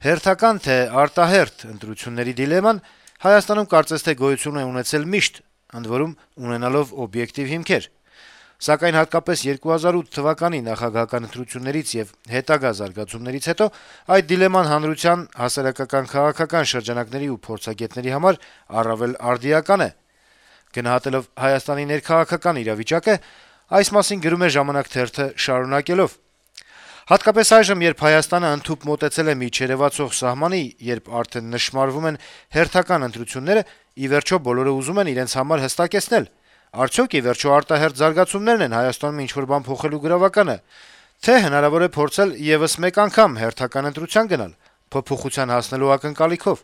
Հերթական թե արտահերթ ընտրությունների դիլեման Հայաստանում կարծես թե գոյություն է ունեցել միշտ, ընդ որում ունենալով օբյեկտիվ հիմքեր: Սակայն հատկապես 2008 թվականի նախագահական ընտրություններից եւ հետագա զարգացումներից հետո այդ դիլեման հանրության, հասարակական-քաղաքական շրջանակների ու փորձագետների համար առավել արդիական է: Գնահատելով Հայաստանի ներքաղաքական իրավիճակը, այս մասին գրում է «Ժամանակ» թերթը շարունակելով. - «Հատկապես այժմ, երբ Հայաստանը ընդհուպ մոտեցել է մի չերեւացող սահմանի, երբ արդեն նշմարվում են հերթական ընտրությունները, ի վերջո բոլորը ուզում են իրենց համար հստակեցնել. արդյոք ի վերջո արտահերթ զարգացումներն են Հայաստանում ինչ-որ բան փոխելու գրավականը, թե հնարավոր է փորձել եւս մեկ անգամ հերթական ընտրության գնալ` փոփոխության հասնելու ակնկալիքով: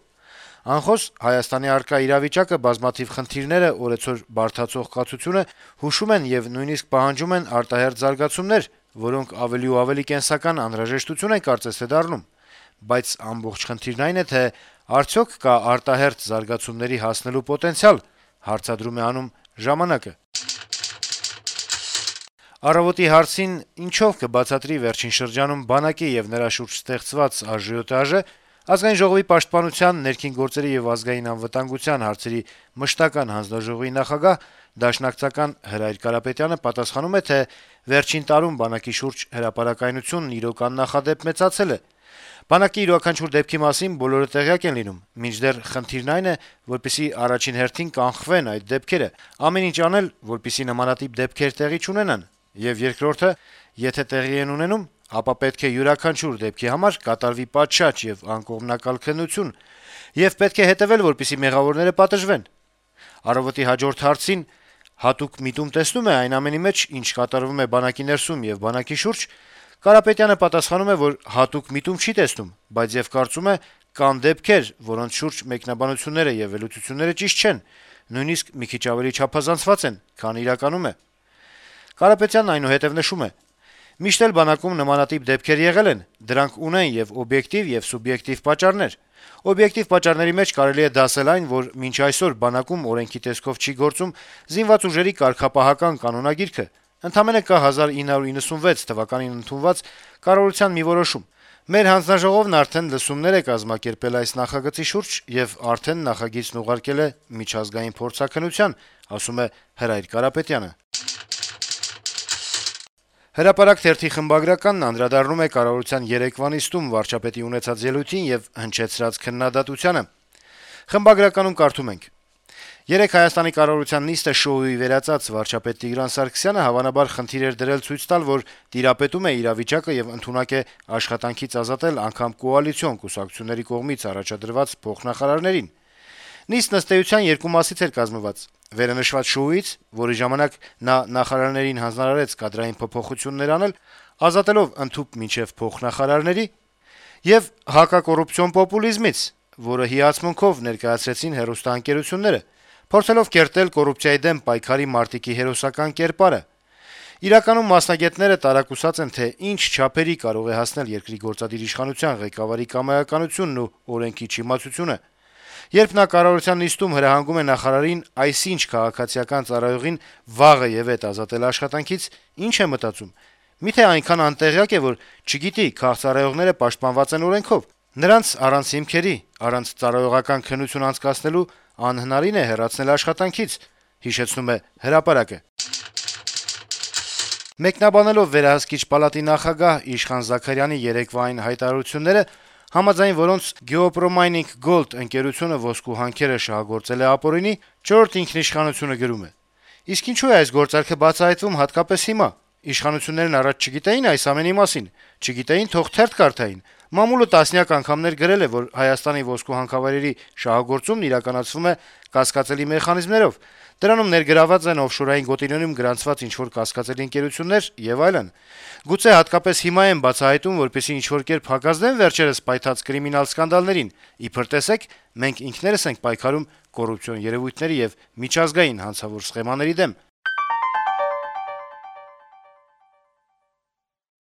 Անխոս Հայաստանի առկա իրավիճակը, բազմաթիվ խնդիրները, օրեցօր բարդացող կացությունը հուշում են եւ նույնիսկ պահանջում են արտահերթ զարգացումներ, որոնք ավելի ու ավելի կենսական անհրաժեշտություն են կարծես թե դառնում: Բայց ամբողջ խնդիրն այն է, թե արդյոք կա արտահերթ զարգացումների հասնելու պոտենցիալ»: Հարցադրում է անում «Ժամանակ»-ը: «Առավոտ»-ի հարցին, ինչով կբացատրի վերջին շրջանում բանակի եւ նրա շուրջ ստեղծված ԱԺՏԱԺ, Ազգային ժողովի պաշտպանության, ներքին գործերի եւ ազգային անվտանգության հարցերի մշտական հանձնաժողովի նախագահ, դաշնակցական Հրայր Կարապետյանը պատասխանում է, թե վերջին տարում բանակի շուրջ հրապարակայնությունն իրոք աննախադեպ մեծացել է: Բանակի յուրաքանչյուր դեպքի մասին բոլորը տեղյակ են լինում, մինչդեռ խնդիրն այն է, որպեսզի առաջին հերթին կանխվեն այդ դեպքերը, ամեն ինչ անել, որպեսզի նմանատիպ դեպքեր տեղի չունենան, եւ երկրորդը, եթե տեղի են ունենում, ապա պետք է յուրաքանչյուր դեպքի համար կատարվի պատշաճ եւ անկողմնակալ քննություն, եւ պետք է հետեւել, որպեսզի մեղավորները պատժվեն»: «Առավոտ»-ի հաջորդ հարցին, հատուկ միտում տեսնո՞ւմ է այն ամենի մեջ, ինչ կատարվում է բանակի ներսում եւ բանակի շուրջ, Կարապետյանը պատասխանում է, որ հատուկ միտում չի տեսնում, բայց եւ կարծում է, կան դեպքեր, որոնց շուրջ մեկնաբանությունները եւ վերլուծությունները ճիշտ չեն, նույնիսկ մի քիչ ավելի չափազանցված են, քան իրականում է: Կարապետյանն այնուհետեւ նշում է. - «Միշտ էլ բանակում նմանատիպ դեպքեր եղել են, դրանք ունեն եւ օբյեկտիվ, եւ սուբյեկտիվ պատճառներ: Օբյեկտիվ պատճառների մեջ կարելի է դասել այն, որ մինչ այսօր բանակում օրենքի տեսքով չի գործում զինված ուժերի կարգապահական կանոնագիրքը: Ընդամենը կա 1996 թվականին ընդունված կառավարության մի որոշում: Մեր հանձնաժողովն արդեն լսումներ է կազմակերպել այս նախագծի շուրջ եւ արդեն նախագիծն ուղարկել է միջազգային փորձաքննության», - ասում է Հրայր Կարապետյանը: «Հրապարակ» թերթի խմբագրականն անդրադառնում է կառավարության երեկվա նիստում վարչապետի ունեցած ելույթին եւ հնչեցրած քննադատությանը: Խմբագրականում կարդում ենք. - «Երեկ Հայաստանի կառավարության նիստը շոուի վերածած վարչապետ Տիգրան Սարգսյանը հավանաբար խնդիր էր դրել ցույց տալ, որ տիրապետում է իրավիճակը եւ ընդունակ է աշխատանքից ազատել անգամ կոալիցիոն կուսակցությունների կողմից առաջադրված փոխնախարարներին: Նիստն ըստ էության երկու մասից էր կազմված. վերընշված շոուից, որի ժամանակ նա նախարարներին հանձնարարեց կադրային փոփոխություններ անել, ազատելով ընդհուպ մինչեւ փոխնախարարների, եւ հակակոռուպցիոն պոպուլիզմից, որը հիացմունքով ներկայացրեցին հեռուստաընկերությունները, փորձելով կերտել կոռուպցիայի դեմ պայքարի մարտիկի հերոսական կերպարը: Իրականում մասնագետները տարակուսած են, թե ինչ չափերի կարող է հասնել երկրի գործադիր իշխանության ղեկավարի կամայականությունն ու օրենքի չիմացությունը: Երբ նա կառավարության նիստում հրահանգում է նախարարին այսինչ քաղաքացիական ծառայողին վաղը եւեթ ազատել աշխատանքից, ի՞նչ է մտածում: Միթե այնքան անտեղյակ է, որ չգիտի` քաղծառայողները պաշտպանված են օրենքով: Նրանց առանց հիմքերի, առանց ծառայողական քննություն անցկացնելու անհնարին է հեռացնել աշխատանքից»: Մեկնաբանելով Վերահսկիչ պալատի նախագահ Իշխան Զաքարյանի երեկվա այն հայտարարությունները, համաձայն որոնց «Գեոպրոմայնինգ Գոլդ» ընկերությունը ոսկու հանքերը շահագործել է ապօրինի, «Չորրորդ ինքնիշխանություն»-ը գրում է. - «Իսկ ինչու է այս գործարքը բացահայտվում հատկապես հիմա: Իշխանություններն առաջ չգիտեի՞ն այս ամենի մասին: Չգիտեին, թող թերթ կարդային: Մամուլը տասնյակ անգամներ գրել է, որ Հայաստանի ոսկու հանքավայրերի շահագործումն իրականացվում է կասկածելի մեխանիզմներով: Դրանում ներգրավված են օֆշորային գոտիներում գրանցված ինչ-որ կասկածելի ընկերություններ եւ այլն: Գուցե հատկապես հիմա են բացահայտում, որպեսզի ինչ-որ կերպ հակազդեն վերջերս պայթած կրիմինալ սկանդալներին: Իբր տեսեք, մենք ինքներս ենք պայքարում կոռուպցիոն երեւույթների եւ միջազգային հանցավոր սխեմաների դեմ»: